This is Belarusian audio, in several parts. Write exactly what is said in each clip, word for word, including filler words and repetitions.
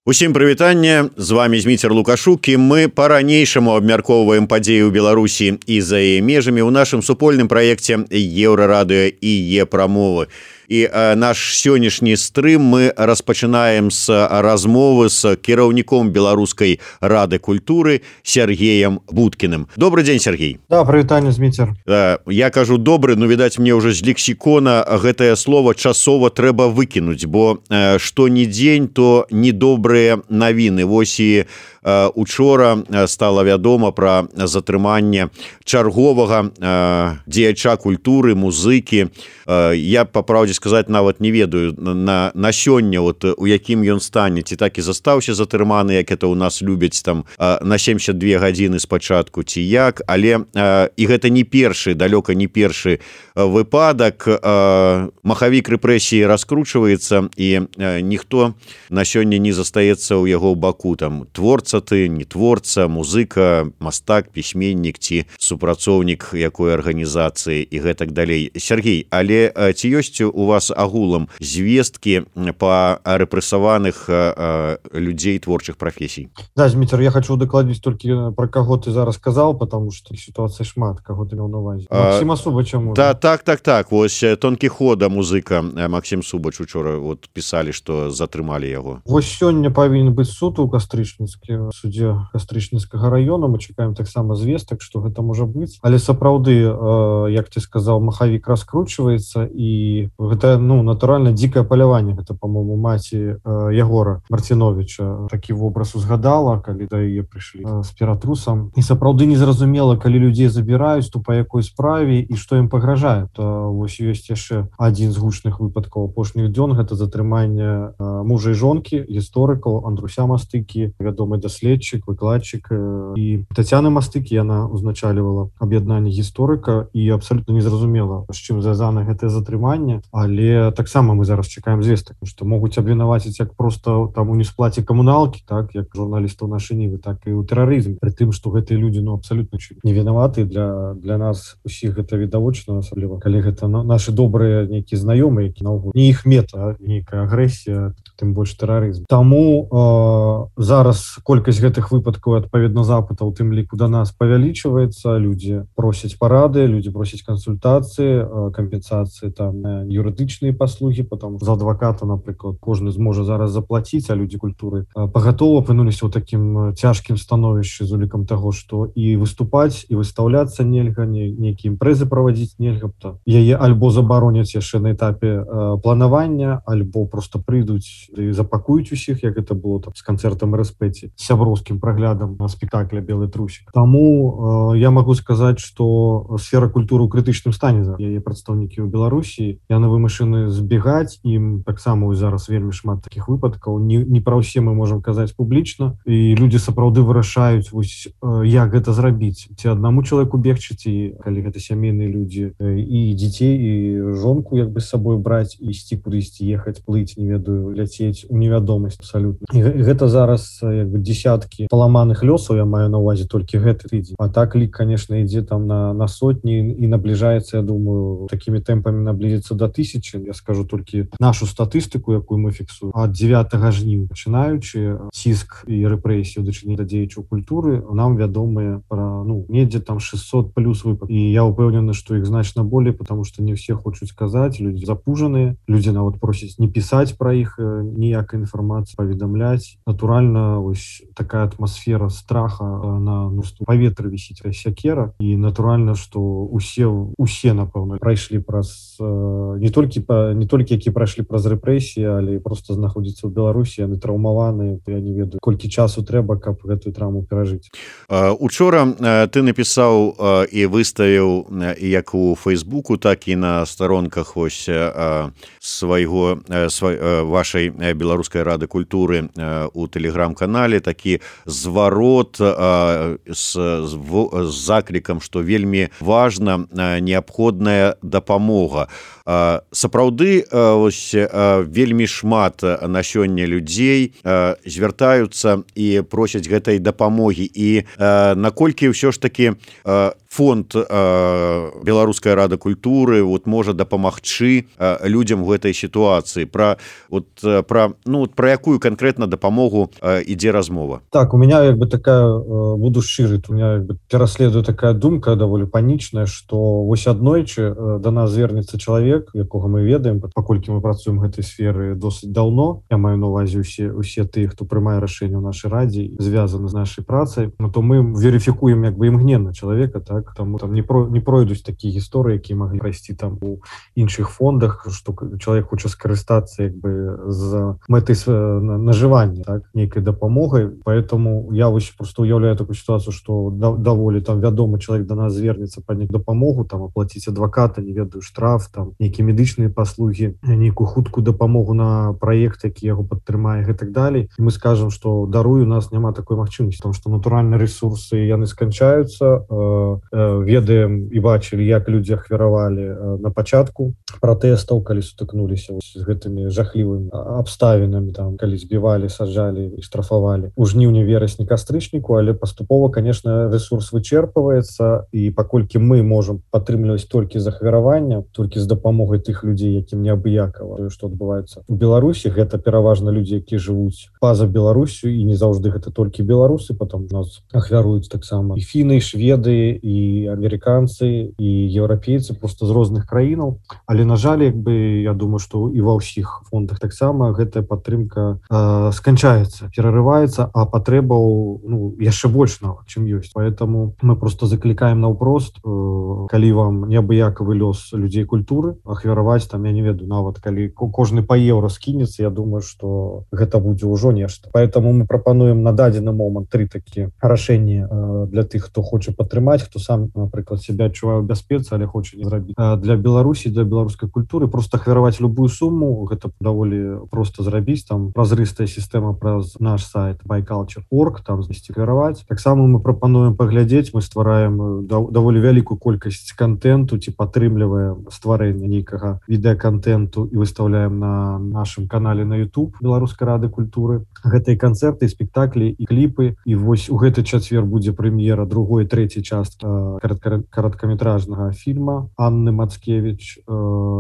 Усім прывітанне, з вами Зміцер Лукашук, і мы па-ранейшаму абмяркоўваем падзеі ў Беларусі і за яе межамі ў нашым супольным праекце Еўрарадыё і Е-прамовы. І э, наш сённяшні стрым мы распачынаем з размовы з кіраўніком Беларускай рады культуры Сергеем Будкіным. Добрый дзень, Сергей. Да, прывітанне, Зміцер. Э, я кажу добры, но, відаць, мне ўжо з лексікона гэтае слово часова трэба выкінуць, бо э, што ні дзень, то недобрыя навіны. Вось і э, учора стала вядома пра затрыманне чарговага э, дзеяча культуры, музыкі. Э, я, па праўдзе сказаць, нават не ведаю на, на сёння, вот, у якім ён стане, ці так і застаўся затрыманы, як это ў нас любяць там на семьдесят две гадзіны спачатку, ці як, але э, і гэта не першы, далёка не першы выпадак. Э, махавік рэпрэсіі раскручваецца, і э, ніхто на сёння не застаецца ў яго баку. Там творца ты, не творца, музыка, мастак, пісьменнік ці супрацоўнік якой арганізацыі і гэтак далей. Сергей, але э, ці ёсць у вас агулам звесткі па рэпрэсаваных э, людзей творчых прафесій? Да, Зміцер, я хочу дакладніць толькі пра каго ты зараз сказаў, потому что сітуацыя шмат, каго ты меў на увазе. Максіма Субача, можа? Да, так, так, так. Вось Тонкі Хода, музыка, Максім Субач учора вот пісалі, што затрымалі яго. Вось сёння павінен быць суд у Кастрычніцкім судзе Кастрычніцкага района. Мы чакаем таксама звестак, што гэта можа быць. Але сапраўды, э, як ты сказаў, махавік раскручваецца, і гэта, ну, натуральна дзікае паляванне. Гэта, па-моему, маці э, Ягора Марціновіча такі вобраз узгадала, калі да яе прыйшлі э, з ператрусам. І сапраўды незразумела, калі людзей забіраюць, то па якой справе і што ім пагражае. То вось ёсць яшчэ адзін з гучных выпадкаў апошніх дзён, гэта затрыманне э, мужа і жонкі, гісторыкаў Андруся Мастыкі, вядомы даследчык, выкладчык, э, і Тацяны Мастыкі. Яна узначальвала аб'яднанне гісторыка, і абсалютна незразумела, з чым звязана гэтае затрыманне. Але таксама мы зараз чакаем звестак, што могуць абвінаваціць як проста там у несплаце камуналкі, так, як журналістаў нашай Нівы, так і ў тэрарызме. Пры тым, што гэтыя людзі, ну, абсалютна не вінаваты. Для, для нас усіх гэта відавочна, асабліва калі гэта, ну, нашы добрыя нейкія знаёмыя, які наогул не іх мета, нейкая агрэсія, тым больш тэрарызм. Таму э, зараз колькасць гэтых выпадкаў, адпаведна запытаў, тым ліку да нас павялічваецца. Людзі просяць парады, людзі просяць кансультацыі, э, кампенсацыі там на юрыдычныя паслугі, потом за адваката, напрыклад, кожны зможа зараз заплаціць, а людзі культуры э, пагатова апынуліся ў такім цяжкім становішчы з улікам таго, што і выступаць, і выстаўляцца нельга, не, нейкія імпрэзы правадзіць нельга, то яе альбо забароняць яшчэ на этапе э, планавання, альбо просто прыйдуць і запакуюць усіх, як гэта было там з канцэртам РСП, сяброўскім праглядам на спектакля «Белы трусік». Таму э, я магу сказаць, што сфера культуры ў крытычным стане. Яе прадстаўнікі ў Беларусі, яны вымушаны збегаць, ім таксама зараз вельмі шмат такіх выпадкаў. Не, не пра ўсе мы можам казаць публічна, і людзі сапраўды вырашаюць, вось, э, як гэта зрабіць. Ці аднаму чалавеку бегчы, ці калі гэта сямейныя людзі, э, і дзяцей, і жонку як бы з сабой браць, і ісці кудысьці, ехаць, плыць, не ведаю, ляцець у невядомасць абсалютна. І гэта зараз як бы десяткі паламаных лёсаў, я маю на увазе толькі гэты тыдзень. А так лік, конечно, ідзе там на, на сотні і набліжаецца, я думаю, такімі тэмпамі наблізіцца да тысячы. Я скажу толькі нашу статыстыку, якую мы фіксуем. Ад дзевятага жніўня пачынаючы, ціск і рэпрэсію дачынення да дзеячаў культуры нам вядомыя пра, ну, недзе там шестьсот плюс выпадкаў. І я ўпэўнены, што іх значна болей, потому што не ўсе хочуць казаць, людзі запужаныя, людзі нават просяць не пісаць пра іх ніякай інфармацыі, паведамляць. Натуральна, ось такая атмасфера страха на, ну, паветры вісіць сякера, і натуральна, што усе, усе, напэўна, прайшлі праз не толькі, не толькі які прайшлі праз рэпрэсіі, але просто знаходзіцца ў Беларусі, яны траўмаваныя, я не ведаю, колькі часу трэба, каб гэтую траўму перажыць. Учора ты напісаў і выставіў як у Фейсбуку, так і на старонках ось свайго, вашай Беларускай рады культуры у тэлеграм-канале такі зварот з, з заклікам, што вельмі важна неабходная дапамога. Сапраўды, ось, вельмі шмат на сёння людзей звяртаюцца і просяць гэтай дапамогі. І наколькі ўсё ж такі фонд беларуская рада культуры вот можа дапамагчы людям в этой сітуацыі про вот про ну про якую конкретно дапамогу ідзе размова? Так, у меня як бы такая, буду шчыры, у меня як бы пераследуе такая думка даволі панічная, что вось аднойчы да нас звернецца чалавек, якога мы ведаем, паколькі мы працуем гэтай сферы досыць даўно, я маю на увазе усе усе тыя, хто прымае рашэнне ў нашай радзе, звязаны з нашай працай, ну, то мы верыфікуем як бы імгненна чалавека, так, таму там не, про, не пройдуць такія гісторыі, якія маглі прайсці там у іншых фондах, што чалавек хоча скарыстацца як бы з мэтай нажывання, так, нейкай дапамогай, поэтому я вось просто уяўляю такую сітуацыю, што да, даволі там вядомы чалавек да нас звернецца па нейкую дапамогу, там аплаціць адваката, не ведаю, штраф, там нейкія медычныя паслугі, нейкую хуткую дапамогу на праект, які яго падтрымае і так далей. Мы скажем, што даруй, у нас няма такой магчымасці, тому што натуральна рэсурсы яны сканчаюцца, э, э, ведаем і бачылі, як людзі ахвяравалі э, на пачатку пратэстаў, калі сутыкнуліся з гэтымі жахлівымі абставінамі, там калі збівалі, саджалі і штрафавалі у жніўні, верасні, кастрычніку, але паступова, конечно, ресурс вычерпваецца, і паколькі мы можам падтрымліваць толькі з ахвяравання, толькі з дапамогай тых людзей, якім неабыякава, што адбываецца у Беларусі, гэта пераважна людзі, якія жывуць па-за Беларусю, і не заўжды гэта толькі беларусы, потом у нас ахвяруюць таксама і фіны, і шведы, і амерыканцы, і еўрапейцы просто з розных краінаў. Але на жаль, як бы я думаю, што і ва ўсіх фондах таксама гэтая падтрымка э, сканчаецца, перарываецца, а патрэбаў ну яшчэ больш нават, чым ёсць. Поэтому мы просто заклікаем наўпрост, э, калі вам неабыякавы лёс людзей культуры, ахвяраваць там, я не ведаю, нават калі кожны па еўра скінецца, я думаю, што гэта будзе ўжо нешта. Поэтому мы прапануем на дадзены момант тры такія рашэнні э, для тых, хто хоча падтрымаць, хто сам, напрыклад, себя адчувае ў бяспецы, але хоча не зрабіць. Э, для Беларусі, для беларускай культуры просто ахвяраваць любую сумму, гэта даволі проста зрабіць, там празрыстая сістэма праз наш сайт байкалчер точка орг, там захвяраваць. Таксама мы прапануем паглядзець, мы ствараем даволі вялікую колькасць контенту, ці падтрымліваем стварэнне нейкага відэаконтенту і выставляем на нашым канале на YouTube Беларускай рады культуры. Гэтыя канцэрты, спектаклі і кліпы. І вось у гэты чацвер будзе прэм'ера другой, трэцяй часткі э, кароткаметражнага фільма Анны Мацкевіч э,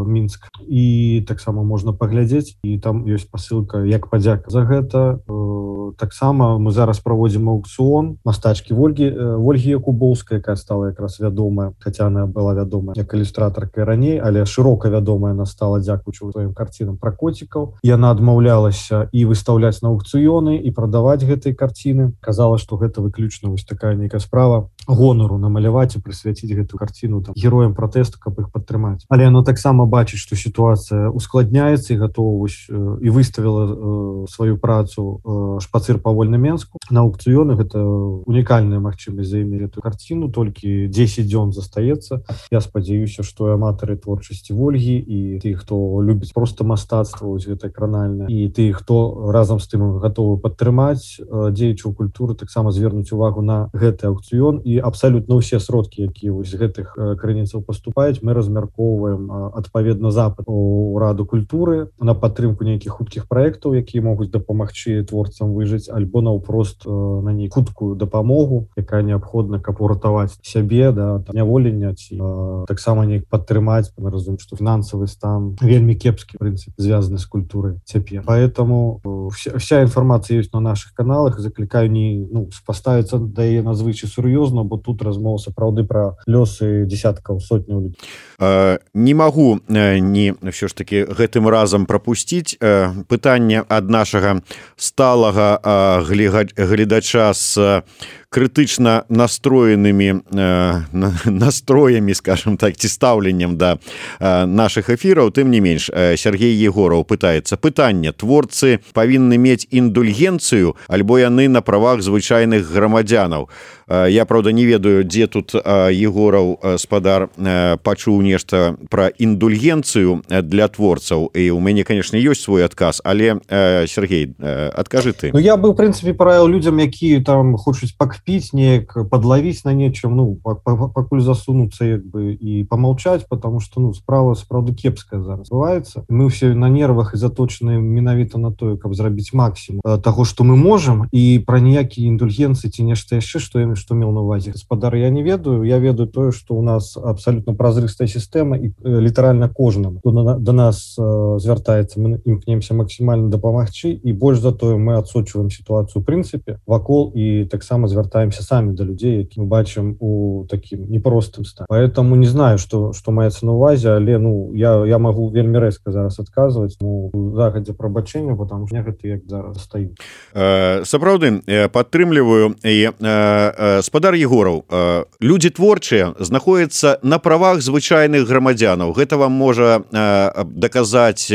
Мінск. І таксама можна паглядзець, і там ёсць пасылка як падзяка за гэта. Э, таксама мы зараз праводзім аукцыён мастачкі Вольгі э, Вольгі Якубоўскай, якая стала якраз вядомая, хаця она была вядомая як ілюстратарка раней, але шырока вядомая она стала дзякуючы сваім карцінам пра коцікаў. Яна адмаўлялася і выстаўляць на аукцыёны і прадаваць гэтыя карціны. Казала, што гэта выключна вось такая нейкая справа гонару намаляваць і прысвяціць гэтую карціну там героям пратэсту, каб іх падтрымаць. Але яно таксама бачыць, што сітуацыя ускладняецца, і гатова вось э, і выставіла э, сваю працу э, шпацыр па вольным Менску на аукцыёны. Гэта унікальная магчымасць заімець эту карціну, толькі дзесяць дзён застаецца. Я спадзяюся, што аматары творчасці Вольгі і ты, хто любіць проста мастацтва, вось гэта кранальна, і ты, хто разам з тым гатовы падтрымаць э, дзеячаў культуры, таксама звернуць увагу на гэты аукцыён. І абсалютна ўсе сродкі, якія вось з гэтых э, крыніцаў паступаюць, мы размяркоўваем э, адпаведна запад у раду культуры на падтрымку нейкіх хуткіх праектаў, якія могуць дапамагчы творцам выжыць, альбо наўпрост э, на ней хуткую дапамогу, якая неабходна, каб уратаваць сябе, да, няволення, ці э, таксама неяк падтрымаць. Мы разумеем, што фінансавы стан вельмі кепскі, в прынцыпе, звязаны з культурай цяпер. Поэтому э, вся, вся інфармацыя ёсць на наших каналах. Заклікаю не ну, паставіцца да яе надзвычай сур'ёзна, бо тут размова сапраўды пра лёсы дзесяткаў, сотняў людзей. Э, не магу э, не ўсё ж таки гэтым разам прапусціць э, пытанне ад нашага сталага э, гледача з крытычна настроенымі э, настроямі, скажем так, ці стаўленнем да э, нашых эфіраў. Тым не менш, э, Сергей Егораў пытаецца: пытанне, творцы павінны мець індульгенцыю, альбо яны на правах звычайных грамадзянаў? Э, я, правда, не ведаю, дзе тут э, Егораў э, спадар э, пачуў нешта пра індульгенцыю для творцаў, і у мяне, конечно, ёсць свой адказ, але э, Сергей, э, адкажы ты. Ну, я бы, в прынцыпе, параіў людзям, якія там хочуць паквітаць кпіць неяк подлавіць на нечым, ну пакуль засунуцца як бы і помолчать, потому что ну справа сапраўды кепская зараз бываецца. Мы все на нервах і заточаны менавіта на тое, каб зрабіць максимум того, что мы можем, і про ніякія індульгенцыі ці нешта яшчэ, что я што меў на увазе гаспадар, я не ведаю. Я ведаю тое, что у нас абсолютно празрыстая сістэма і літаральна кожнаму до нас звяртаецца, мы імкнемся максімальна дапамагчы, і больш за тое мы адсочваем сітуацыю ў прынцыпе вакол і таксама звяртаемся самі да людзей, які мы бачым у такім непростым стане. Поэтому не знаю, что что маецца на увазе, але ну я я могу вельмі рэзка зараз адказваць, ну загадзя прабачэння, потому что гэта як зараз стаю. Э, сапраўды падтрымліваю. І э, спадар Егораў, э, людзі творчыя знаходзяцца на правах звычайных грамадзянаў. Гэта вам можа э, даказаць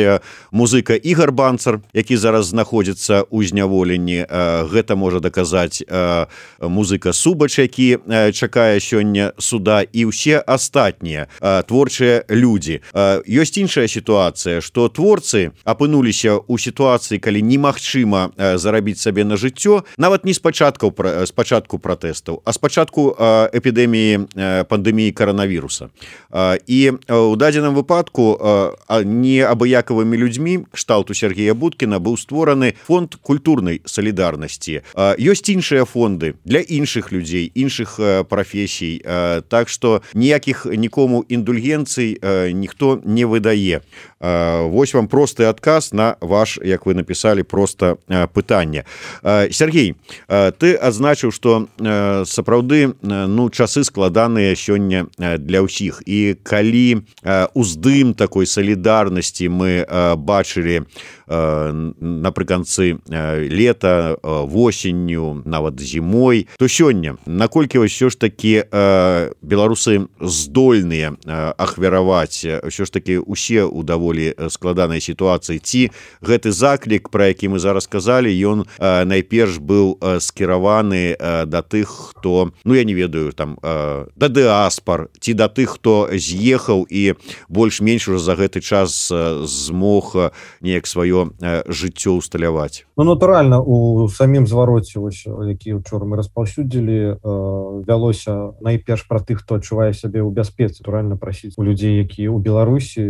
музыка Ігор Банцар, які зараз знаходзіцца ў зняволенні. Э, гэта можа даказаць э, музыка Субач, які э, чакае сёння суда, і ўсе астатнія э, творчыя людзі. Э, ёсць іншая сітуацыя, што творцы апынуліся ў сітуацыі, калі немагчыма э, зарабіць сабе на жыццё, нават не з пачаткаў з пачатку пратэстаў, а з пачатку э, эпідэміі э, пандэміі каранавіруса. Э, і ў дадзеным выпадку э, неабыякавымі людзьмі кшталту Сергея Будкіна быў створаны фонд культурнай салідарнасці. Э, ёсць іншыя фонды для іншых людзей, іншых э, прафесій, э, так што ніякіх нікому індульгенцый э, ніхто не выдае. Э, вось вам просты адказ на ваш, як вы напісалі, проста э, пытанне. Э, Сергей, э, ты адзначыў, што э, сапраўды э, ну часы складаныя сёння э, для ўсіх, і калі э, уздым такой салідарнасці мы э, бачылі э, напрыканцы э, лета, э, восенню, нават зімой, то сёння наколькі ўсё ж такі э, беларусы здольныя э, ахвяраваць ўсё ж такі усе ў даволі складанай сітуацыі, ці гэты заклік, пра які мы зараз казалі, ён э, найперш быў э, скіраваны э, да тых, хто, ну я не ведаю, там э, да дыаспар, ці да тых, хто з'ехаў і больш-менш уже за гэты час э, змог э, неяк сваё э, жыццё усталяваць. Ну натуральна, у самім звароце, вось, які учора мы распаўсюдзілі, э, вялося найперш пра тых, хто адчувае сябе ў бяспецы. Натуральна прасіць у людзей, якія ў Беларусі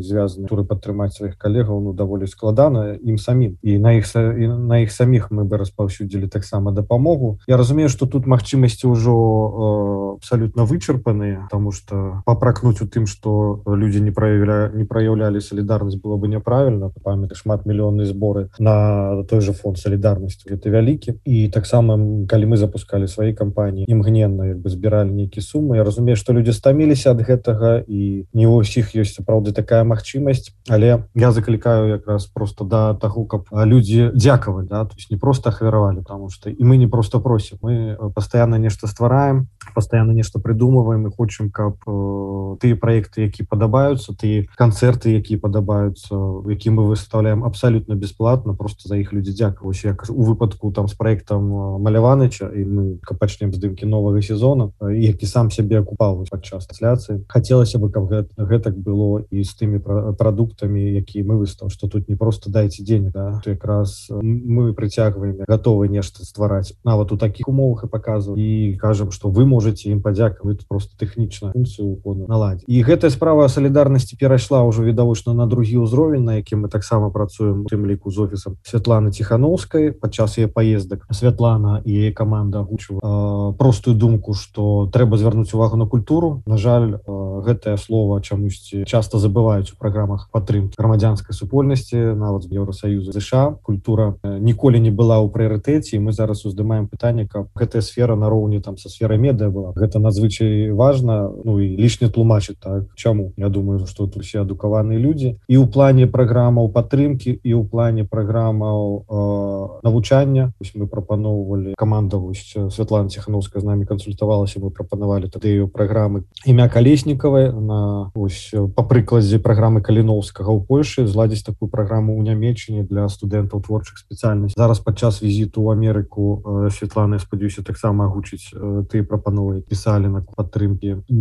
звязаны, туры падтрымаць сваіх калегаў, ну даволі складана ім самім. І на іх і на іх саміх мы бы распаўсюдзілі таксама дапамогу. Я разумею, што тут магчымасці ўжо э, абсалютна вычарпаныя, таму што папракнуць у тым, што людзі не праяўля, не праяўлялі салідарнасць, было бы няправільна. Памятай, шмат мільённыя зборы на той же фонд салідарнасці, гэта вялікі. І таксама, калі мы запускалі свае кампаніі, імгненна як бы збіралі нейкія сумы. Я разумею, што людзі стаміліся ад гэтага, і не ў усіх ёсць сапраўды такая магчымасць, але я заклікаю якраз просто да таго, каб людзі дзякавалі, да, то есть не просто ахвяравалі, потому что і мы не просто просім, мы пастаянна нешта ствараем, пастаянна нешта прыдумваем, і хочам, каб э, тыя праекты, які падабаюцца, тыя канцэрты, якія падабаюцца, які мы выстаўляем абсалютна бясплатна, просто за іх людзі дзякаваць. Як у выпадку там з праектам Маляваныча, і мы пачнем здымкі новага сезона, які сам сябе акупаў падчас трансляцыі. Хацелася бы, каб гэта, гэтак было і з тымі прадуктамі, якія мы выстаў, што тут не просто дайце денег, да, то якраз мы прыцягваем, гатовы нешта ствараць нават у такіх умовах і паказваем, і кажам, што вы можете ім падзякаваць, просто тэхнічна функцыю наладзіць. І гэтая справа салідарнасці перайшла ўжо відавочна на другі ўзровень, на якім мы таксама працуем, у тым ліку з офісам Святланы Ціхановскай. Падчас яе паездак Святлана і яе каманда агучыла э, простую думку, што трэба звярнуць увагу на культуру. На жаль, э, гэтае слова чамусьці часта забываюць у праграмах падтрымкі грамадзянскай супольнасці, нават з Еўросаюза, ЗША. Культура э, ніколі не была ў прыярытэце, і мы зараз уздымаем пытанне, каб гэтая сфера нароўні там са сферай медыа была. Гэта надзвычай важна, ну і лішне тлумачыць, так, чаму. Я думаю, што тут усе адукаваныя людзі. І ў плане праграмаў падтрымкі, і ў плане праграмаў э, навучання. Вось мы прапаноўвалі, каманда вось Святлана Ціхановская з намі кансультавалася, мы прапанавалі тады праграмы імя Калеснікавай, на ось па прыкладзе праграмы Каліноўскага ў Польшы, зладзіць такую праграму ў Нямеччыне для студэнтаў творчых спецыяльнасцей. Зараз падчас візіту ў Амерыку э, Святлана, я спадзяюся, таксама агучыць э, тыя прапановы, пісалі на падтрымкі і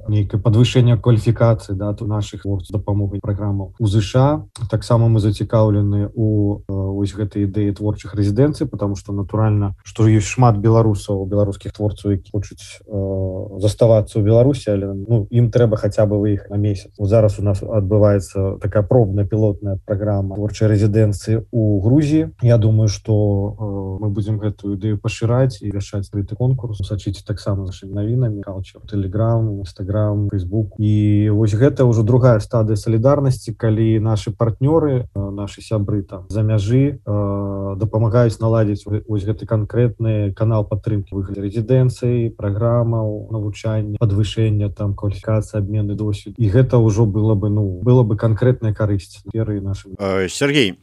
нейкае падвышэнне кваліфікацыі, да, нашых творцаў, дапамогай праграмаў у ЗША. Таксама таксама мы зацікаўлены у вось гэтай ідэі творчых рэзідэнцый, потому что натуральна, што ёсць шмат беларусаў, беларускіх творцаў, які хочуць э, заставацца ў Беларусі, але ну, ім трэба хаця бы выехаць на месяц. Вот зараз у нас адбываецца такая пробная пілотная праграма творчай рэзідэнцыі ў Грузіі. Я думаю, што э, мы будзем гэтую ідэю пашыраць і вяшаць гэты конкурс. Сачыце таксама нашымі навінамі, Culture, Telegram, Instagram, Facebook. І вось гэта ўжо другая стадыя салідарнасці, калі нашы партнёры, э, нашы сябры там за мяжы э, дапамагаюць наладзіць вось гэты канкрэтны канал падтрымкі ў выглядзе рэзідэнцыі, праграмаў навучання, падвышэння там кваліфікацыі, абмены досвед. І гэта ўжо было бы ну было бы канкрэтная карысць перы нашым. Сергей,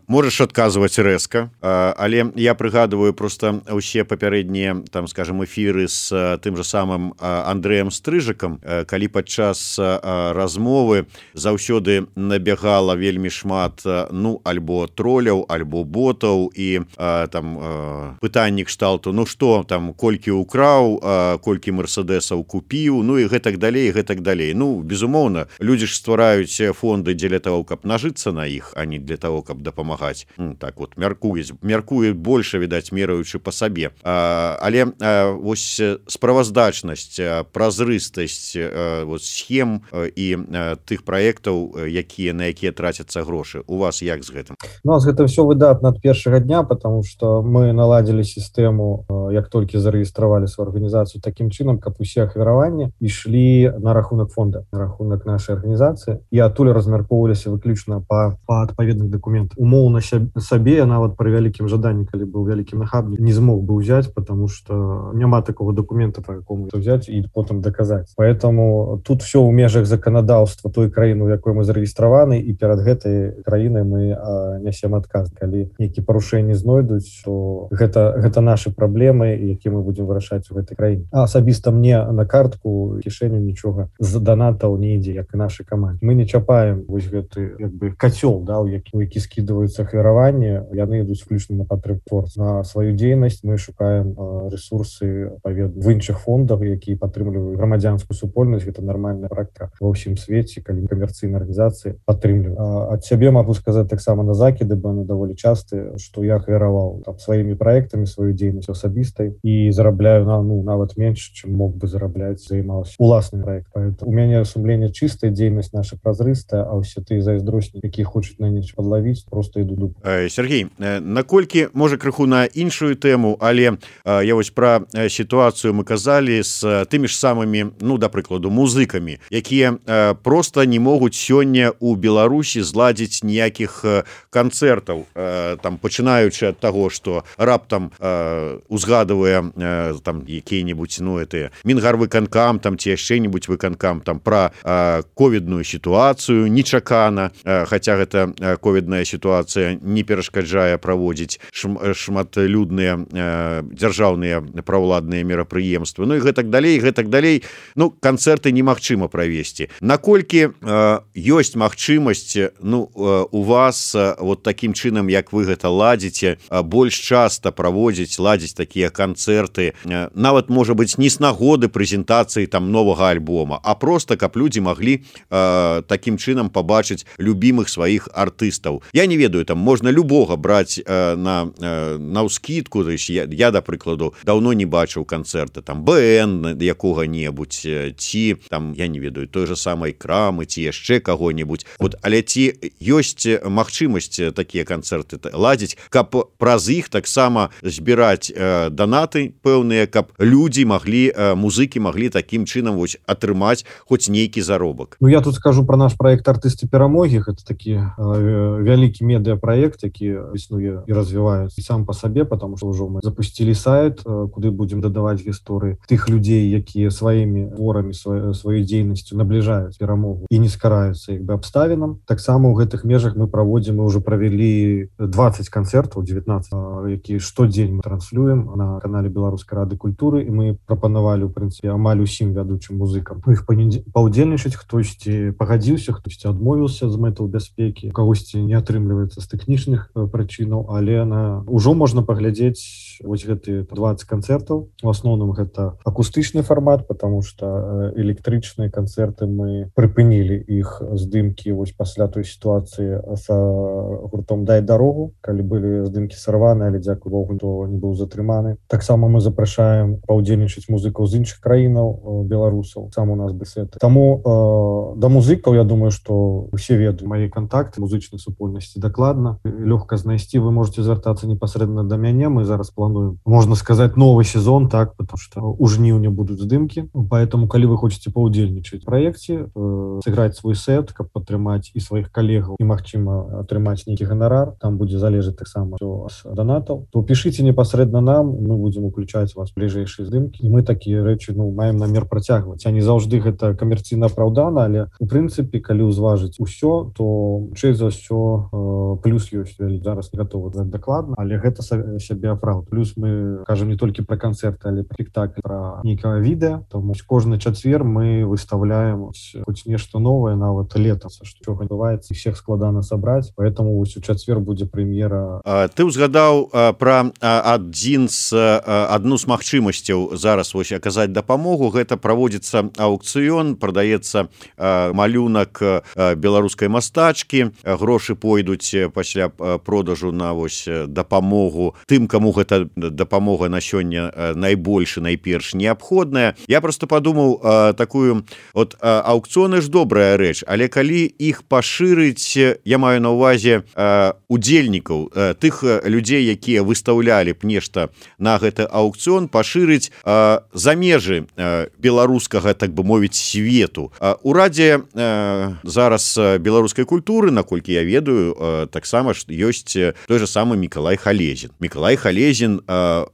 можаш адказваць рэзка, але я прыгадываю просто ўсе папярэднія там скажем эфіры з тым же самым Андрэем Стрыжыкам, калі падчас размовы заўсёды набягала вельмі шмат ну альбо троляў, альбо ботаў і там пытанні кшталту ну што там колькі украў, колькі мерседесаў купіў, ну і гэтак далей, гэтак далей. Ну безумоўна, людзі ж ствараюць фонды дзеля того, каб нажыцца на іх, а не для того, каб дапамагаць. Ну, так вот мяркуюць, мяркуюць больше, відаць, мераючы па сабе. А, але а, вось справаздачнасць, празрыстасць вот схем і а, тых праектаў, якія на якія трацяцца грошы. У вас як з гэтым? У нас гэта все выдатна ад першага дня, потому что мы наладзілі сістэму, як толькі зарэгістравалі сваю арганізацыю такім чынам, каб усе ахвяраванні ішлі на рахунак фонда, на рахунак нашай арганізацыі, і адтуль размяркоўваліся выключна па, па адпаведных дакументах. Умоўна сабе я нават пры вялікім жаданні, калі быў вялікім нахабнік, не змог бы ўзяць, потому что няма такого документа, по якому взять и потом доказать. Поэтому тут все ў межах заканадаўства той краіны, у якой мы зарэгістраваны, і перад гэтай краінай мы а, нясем адказ. Калі нейкія парушэнні знойдуць, то гэта, гэта нашы праблемы, якія мы будзем вырашаць у гэтай краіне. А асабіста мне на картку кішэню нічога з данатаў не ідзе, як і нашай камандзе. Мы не чапаем вось гэты як бы кацёл, да, у які, у які скідваюцца ахвяраванні, яны ідуць выключна на падтрымку творцаў. На сваю дзейнасць мы шукаем а, ресурсы паведна в іншых фондах, якія падтрымліваюць грамадзянскую супольнасць. Гэта нармальная практыка ва ўсім свеце, калі камерцыйныя арганізацыі падтрымліваюць. А, ад сябе магу сказаць таксама на закіды, бо яны даволі частыя, што я ахвяраваў там сваімі праектамі сваю дзейнасць асабістай і зарабляю на ну нават менш, чым мог бы зарабляць, займаўся уласным праектам. У мяне сумленне чыстая, дзейнасць наша празрыстая, а ўсе тыя зайздроснікі, якія хочуць на нечым падлавіць, просто іду дуб. Сергей, наколькі можа крыху на іншую тэму, але я вось пра сітуацыю мы казалі з тымі ж самымі, ну да прыкладу, музыкамі, якія просто не могуць сёння у Беларусі зладзіць ніякіх канцэртаў, там пачынаючы ад таго, што раптам узгадывае там якія-небудзь ну это Мінгарвыканкам там ці яшчэ-небудзь выканкам там пра ковідную сітуацыю нечакана, хаця гэта ковідная сітуацыя не перашкаджае праводзіць шматлюдныя дзяржаўныя праўладныя мерапрыемствы, ну і гэтак далей, гэтак далей. Ну, канцэрты немагчыма правесці. Наколькі э, ёсць магчымасць ну, э, у вас э, вот такім чынам, як вы гэта ладзіце, э, больш часта праводзіць, ладзіць такія канцэрты, э, нават, можа быць, не з нагоды прэзентацыі там новага альбома, а просто, каб людзі маглі э, такім чынам пабачыць любімых сваіх артыстаў. Я не ведаю, там можна любога браць э, на, э, на ўскідку, то есть я, я, да прыкладу, даўно не бачыў канцэрты, там, БН якога-небудзь, ці, там, я не ведаю, той же самай Крамы, ці яшчэ каго-небудзь. Вот, але ці ёсць магчымасць такія канцэрты ладзіць, каб праз іх таксама збіраць э, данаты пэўныя, каб людзі маглі, э, музыкі маглі такім чынам вось атрымаць хоць нейкі заробак. Ну, я тут скажу про наш проект «Артысты перамогі». Гэта такі э, вялікі медыапраект, які існуе і развіваецца і сам па сабе, потому что ўжо мы запусцілі сайт, э, куды будзем дадаваць гісторыі тых людзей, якія сваімі творамі, сваёй, сваёй дзейнасцю набліжаюць перамогу і не скараюцца як бы абставінам. Таксама ў гэтых межах мы праводзім, мы ўжо правялі двадцать канцэртаў, девятнадцать, э, які штодзень мы транслюем на канале Беларускай рады культуры, і мы прапанавалі, ў прынцыпе, амаль усім вядучым музыкам іх паўдзельнічаць, хтосьці пагадзіўся, хтосьці адмовіўся з мэтаў бяспекі, у кагосьці не атрымліваецца з тэхнічных прычынаў, але на ўжо можна паглядзець вось гэты двадцать канцэртаў. У асноўным гэта акустычны фармат, потому что электрычныя канцэрты мы прыпынілі іх здымкі вось пасля той сітуацыі, працы с гуртом «Дай дарогу», калі былі здымкі сарваны, але дзякуй Богу, то не быў затрыманы. Таксама мы запрашаем паўдзельнічаць музыкаў з іншых краінаў, беларусаў, сам у нас бесеты. Таму э, да музыкаў, я думаю, што усе ведаюць мае контакты музычнай супольнасці дакладна. Лёгка знайсці, вы можете звяртацца непасрэдна да мяне. Мы зараз плануем, можна сказаць, новы сезон, так, потому что у жніўня будуць здымкі. Поэтому, калі вы хочаце паўдзельнічаць у праекце, э, сыграць свой сет, каб падтрымаць і сваіх калегаў, і, магчыма, атрымаць нейкі ганарар, там будзе залежаць таксама ад донатаў, то пішыце непасрэдна нам, мы будзем уключаць вас бліжэйшыя здымкі. І мы такія рэчы, ну, маем намер працягваць. А не заўжды гэта камерцыйна апраўдана, але у прынцыпе, калі ўзважыць усё, то чэй за ўсё э, плюс ёсць. Зараз не гатовы дакладна, але гэта сябе апраўд. Плюс мы кажам не толькі пра канцэрты, але пра спектакль, пра нейкае відэа. Тому кожны чацвер мы выставляем хоць нешта новае, нават летом, што адбываецца, і всех складана сабраць. Поэтому вось у чацвер будзе прэм'ера. Ты ўзгадаў пра адзін з адну з магчымасцяў зараз вось аказаць дапамогу. Гэта праводзіцца аукцыён, прадаецца малюнак беларускай мастачкі. Грошы пойдуць пасля продажу на вось дапамогу тым, каму гэта дапамога на сёння найбольш і найперш неабходная. Я просто падумаў, такую от аукцыёны ж добрая рэч, але калі іх пашырыць, я маю на ўвазе удзельнікаў, тых людзей, якія выстаўлялі б нешта на гэты аукцыён, пашырыць за межы беларускага, так бы мовіць, свету. Урадзе зараз беларускай культуры, наколькі я ведаю, таксама ёсць той же самы Мікалай Халезін. Мікалай Халезін,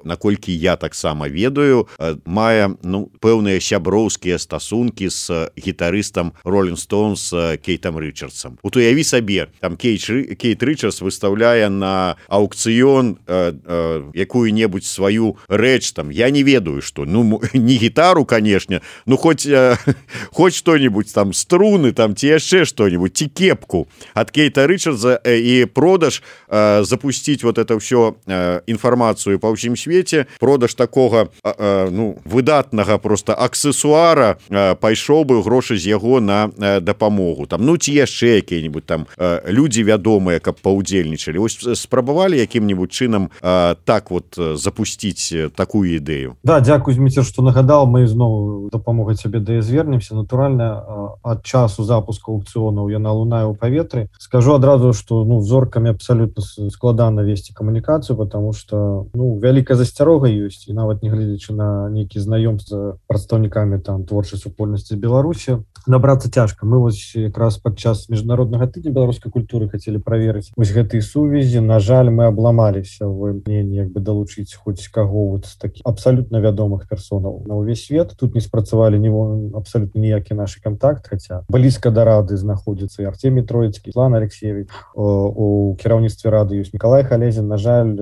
наколькі я таксама ведаю, мае, ну, пэўныя сяброўскія стасункі з гітарыстам Rolling Stones Кейтам Рычардсам. Вот уяві сабе, там Кейт, Кейт Рычардс выстаўляе на аукцыён э, э, якую-небудзь сваю рэч, там, я не ведаю, што, ну, не гітару, канешне, ну, хоць, э, хоць што-нибудь, там, струны, там, ці яшчэ што-нибудь, ці кепку ад Кейта Рычардса, э, і продаж, э, запусціць вот это ўсё э, інфармацыю па ўсім свеце, продаж такога, э, э, ну, выдатнага просто аксесуара, э, пайшоў бы грошы з яго на э, дапамогу. Там, ну, ці яшчэ якія-нибудь там э, людзі вядомыя, каб паўдзельнічалі. Вось спрабавалі якім-нибудь чынам э, так вот запусціць такую ідэю. Да, дзякуй, Зміцер, што нагадаў. Мы зноў дапамогай цябе да звернемся. Натуральна, ад часу запуску аукцыёнаў яна лунае ў паветры. Скажу адразу, што, ну, з зоркамі абсалютна складана весці камунікацыю, потому что, ну, вялікая засцярога ёсць, і нават не гледзячы на нейкі знаёмства з прадстаўнікамі там творчай супольнасці Беларусі, набрацца цяжка. Мы вось якраз падчас міжнароднага тыдня беларускай культуры хацелі праверыць вось гэтыя сувязі. На жаль, мы абламаліся в імкненні як бы далучыць хоць каго вот з такіх абсалютна вядомых персонаў на ўвесь свет. Тут не спрацавалі ні абсалютна ніякі нашы контакт, хаця блізка да рады знаходзіцца і Артемій Троіцкі, Святлана Алексеевич. У кіраўніцтве рады ёсць Мікалай Халезін. На жаль,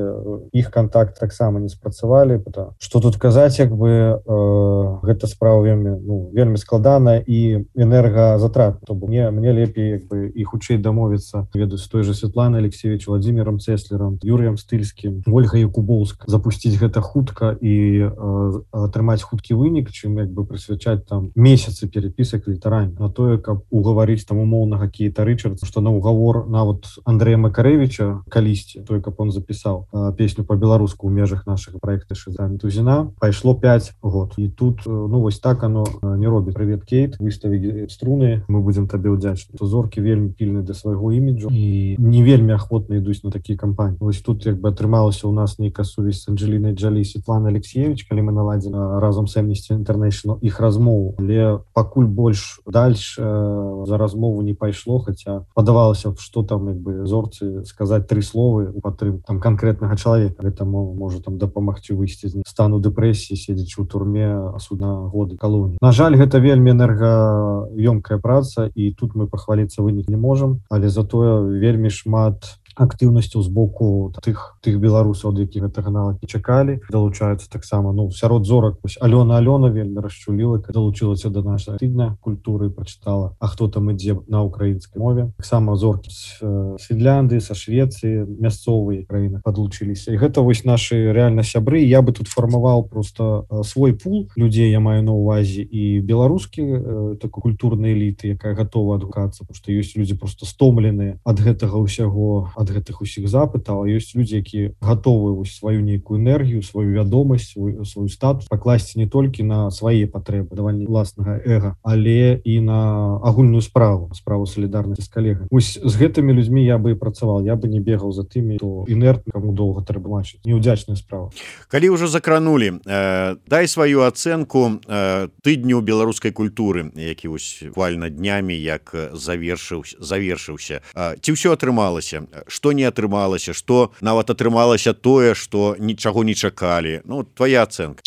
іх контакт таксама не спрацавалі. Што тут казаць, як бы э, гэта справа вельмі, ну, вельмі складана і энергазатратна. То бок мне, мне лепей як бы і хутчэй дамовіцца, ведаю, з той же Святланай Алексеевич, Владимиром Цеслером, Юрыем Стыльскім, Ольгай Якубоўскай, запусціць гэта хутка і э, атрымаць хуткі вынік, чым як бы прысвячаць там месяцы перепісак літаральна на тое, каб угаварыць там умоўнага Кейта Рычардса, што на угавор нават Андрэя Макарэвіча калісьці, той, каб он запісаў э, песню па-беларуску ў межах нашага праекта Шызамі Тузіна, пайшло пяць год. І тут, э, ну, вось так оно э, не робіць. Привет, Кейт, выставі струны, мы будзем табе ўдзячны. То зоркі вельмі пільны да свайго іміджу і не вельмі ахвотна ідуць на такія кампаніі. Вось тут як бы атрымалася ў нас нейкая сувязь з Анджелінай Джолі, Святлана Алексеевич, калі мы наладзілі разам з Amnesty International іх размову, але пакуль больш дальш э, за размову не пайшло, хаця падавалася, што там як бы зорцы сказаць тры словы у падтрымку там канкрэтнага чалавека. Гэта можа там дапамагчы выйсці з стану дэпрэсіі, седзячы ў турме суд на годы калоніі. На жаль, гэта вельмі энергаёмкая праца, і тут мы пахваліцца вынік не можам, але затое вельмі шмат актыўнасцяў з боку тых тых беларусаў, ад якіх гэтага нават не чакалі. Далучаюцца таксама, ну, сярод зорак Алёна Алёна вельмі расчуліла, далучылася да нашага тыдня культуры, прачытала «А хто там ідзе» на украінскай мове. Таксама зоркі з Фінляндыі, са Швецыі, мясцовыя краіны падлучыліся. І гэта вось нашы рэальна сябры. Я бы тут фармаваў просто свой пул людзей, я маю на ўвазе і беларускі такой культурнай эліты, якая гатова адгукацца, потому што ёсць людзі просто стомленыя ад гэтага ўсяго, ад гэтых усіх запытаў, а ёсць людзі, якія гатовы вось сваю нейкую энергію, сваю вядомасць, свой, свой статус пакласці не толькі на свае патрэбы, даванне ўласнага эга, але і на агульную справу, справу салідарнасці з калегамі. Вось з гэтымі людзьмі я бы і працаваў, я бы не бегаў за тымі, хто інертны, каму доўга трэба бачыць. Неўдзячная справа. Калі ўжо закранулі, э, дай сваю ацэнку э, тыдню беларускай культуры, які вось буквально днямі як завершыў, завершыўся. Э, ці ўсё атрымалася? Што не атрымалася? Што нават атрымалася тое, што нічаго не чакалі? Ну, твоя ацэнка.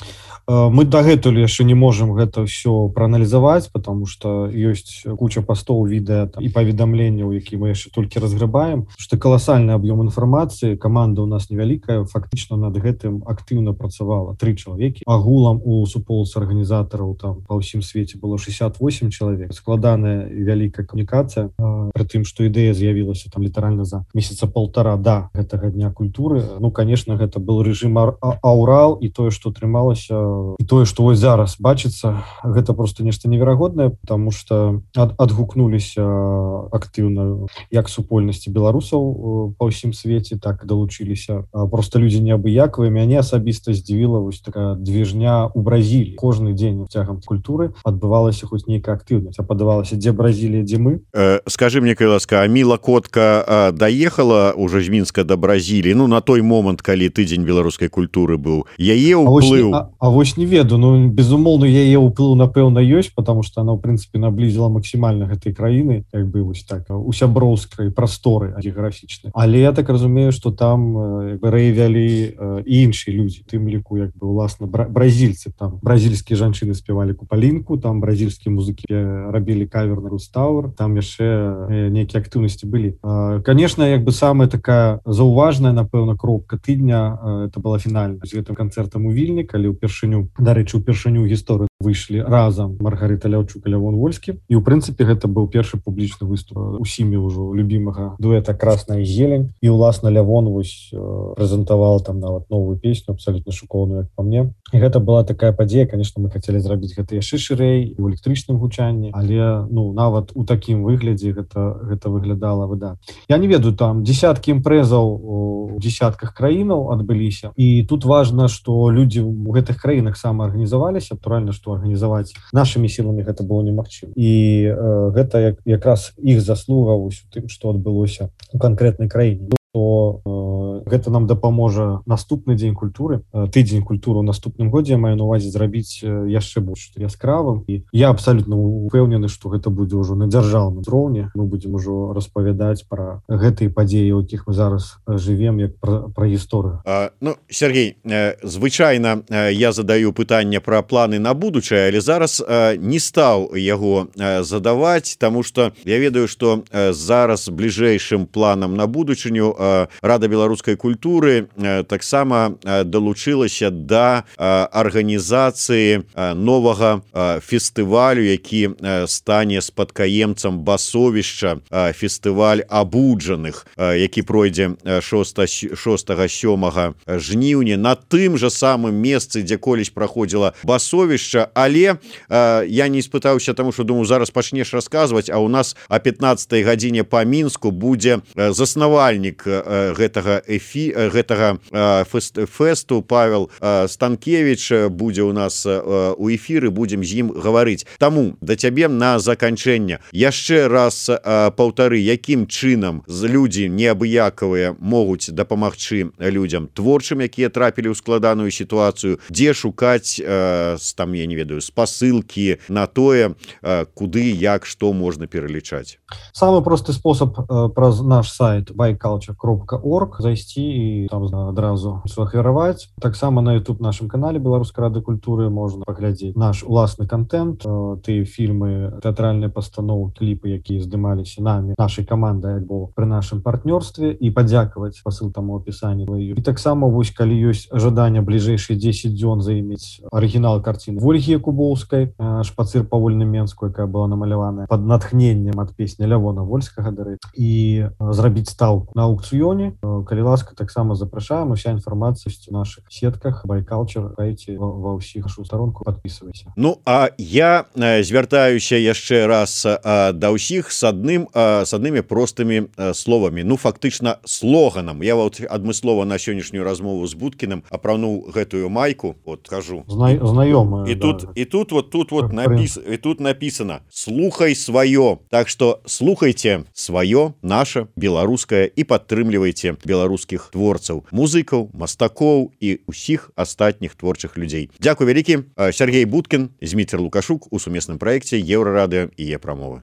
Мы дагэтуль яшчэ не можам гэта ўсё прааналізаваць, потому што ёсць куча пастоў, відэа і паведамленняў, які мы яшчэ толькі разграбаем, што каласальны аб'ём інфармацыі, каманда ў нас невялікая, фактычна над гэтым актыўна працавала тры чалавекі. Агулам у суполцы арганізатараў там па ўсім свеце было шэсцьдзесят восемь чалавек. Складаная і вялікая камунікацыя, пры тым, што ідэя з'явілася там літаральна за месяца полтора да гэтага дня культуры. Ну, конечно, гэта был рэжым аўрал, і тое, што атрымалася, і тое, што вось зараз бачыцца, гэта просто нешта неверагоднае, потому что ад, адгукнуліся актыўна як супольнасці беларусаў па ўсім свеце, так і далучыліся просто людзі неабыякавыя. Мяне асабіста здзівіла вось такая движня у Бразіліі. Кожны дзень цягам культуры адбывалася хоць нейкая актыўнасць, а падавалася, дзе Бразілія, дзе мы. Э, скажи мне, калі ласка, а Міла Котка а, даехала уже з Мінска до Бразіліі, ну, на той момант, калі тыдзень беларускай культуры быў, яе ўплыў? А, а, а вось не ведаю, ну, безумоўно, яе ўплыў, напэўна, ёсць, потому что она, в принципе, наблизила максимально гэтай краіны, як бы, вось так, у сяброўскай прасторы геаграфічнай. Але я так разумею, что там як бы рэявялі і іншыя людзі, тым ліку, як бы, уласна, бразільцы, там бразільскія жанчыны спявалі купалінку, там бразільскія музыкі рабілі кавер на Рустауэр, там яшчэ нейкія актыўнасці былі. Конечно, як бы самая такая заўважная, напэўна, кропка тыдня, это была фінальная з гэтым канцэртам у Вільні, калі ўпершыню, дарэчы, упершыню гісторыю выйшлі разам Маргарыта Ляўчук і Лявон Вольскі. І, ў прынцыпе, гэта быў першы публічны выступ усімі ўжо любімага дуэта «Красная зелень». І, уласна, Лявон вось прэзентаваў там нават новую песню, абсалютна шыкоўную, як па мне. І гэта была такая падзея, конечно, мы хацелі зрабіць гэта яшчэ шырэй, у электрычным гучанні, але, ну, нават у такім выглядзе гэта, гэта выглядала выдатна. Я не ведаю, там десяткі імпрэзаў у десятках краінаў адбыліся. І тут важна, што людзі ў гэтых краінах самаарганізаваліся, натуральна, што арганізаваць нашымі сіламі гэта было немагчыма. І э, гэта як, якраз іх заслуга ў тым, што адбылося у канкрэтнай краіне. То э, гэта нам дапаможа наступны дзень культуры, э, тыдзень культуры ў наступным годзе, я маю на увазе зрабіць э, яшчэ больш яскравым. І я абсалютна упэўнены, што гэта будзе ўжо на дзяржаўным узроўні. Мы будзем ужо распавядаць пра гэтыя падзеі, у якіх мы зараз жывем, як пра, пра гісторыю. А, ну, Сергей, э, звычайна э, я задаю пытанне пра планы на будучае, але зараз э, не стаў яго э, задаваць, таму што я ведаю, што э, зараз бліжэйшым планам на будучыню Рада беларускай культуры таксама далучылася да арганізацыі новага фестывалю, які стане спадкаемцам басовішча, фестываль абуджаных, які пройдзе шостага сёмага жніўня на тым жа самым месцы, дзе колісь праходзіла басовішча. Але я не испытаўся, таму што думаю, зараз пачнеш расказваць, а у нас о пятнаццатай гадзіне па Мінску будзе заснавальнік гэтага эфі гэтага фест, фесту Павел Станкевич будзе у нас у эфіры, будзем з ім гаварыць. Таму да цябе на заканчэнне яшчэ раз паўтары, якім чынам людзі неабыякавыя могуць дапамагчы людзям творчым, якія трапілі ў складаную сітуацыю, дзе шукаць там, я не ведаю, спасылкі на тое, куды, як, што можна пералічаць. Самы просты спосаб праз наш сайт байкалча кропка орг зайсці перайсці і там адразу сфахвяраваць. Таксама на YouTube нашым канале беларускай рады культуры можна паглядзець наш уласны контент, тыя фільмы, тэатральныя пастановы, кліпы, якія здымаліся намі, нашай камандай альбо пры нашым партнёрстве, і падзякаваць па ссылкам у апісанні. І таксама вось калі ёсць жаданне бліжэйшыя дзесяць дзён заімець арыгінал карціны Ольгі Якубоўскай «Шпацыр па вольным Менску», якая была намаляваная пад натхненнем ад песні Лявона Вольскага, дарэчы, і зрабіць стаўку на аукцыёне. Калі ласка, таксама запрашаем. Уся інфармацыя ёсць у нашых сетках байкалчар, гайце ва ўсіх нашу старонку, подписывайся. Ну а я звяртаюся яшчэ раз да ўсіх с адным с аднымі простымі словамі, ну фактычна слоганам. Я вот адмыслова на сённяшнюю размову з Будкіным апрануў гэтую майку, вот кажу Зна знаёмая, і да. тут і тут вот тут вот напіс і тут написано слухай сваё. Так что слухайте сваё, наше беларускае, і падтрымлівайце беларускіх творцаў, музыкаў, мастакоў і усіх астатніх творчых людзей. Дзякуй вялікі. Сергей Будкін, Зміцер Лукашук у сумесным праекце Еўрарадыё і Е-прамова.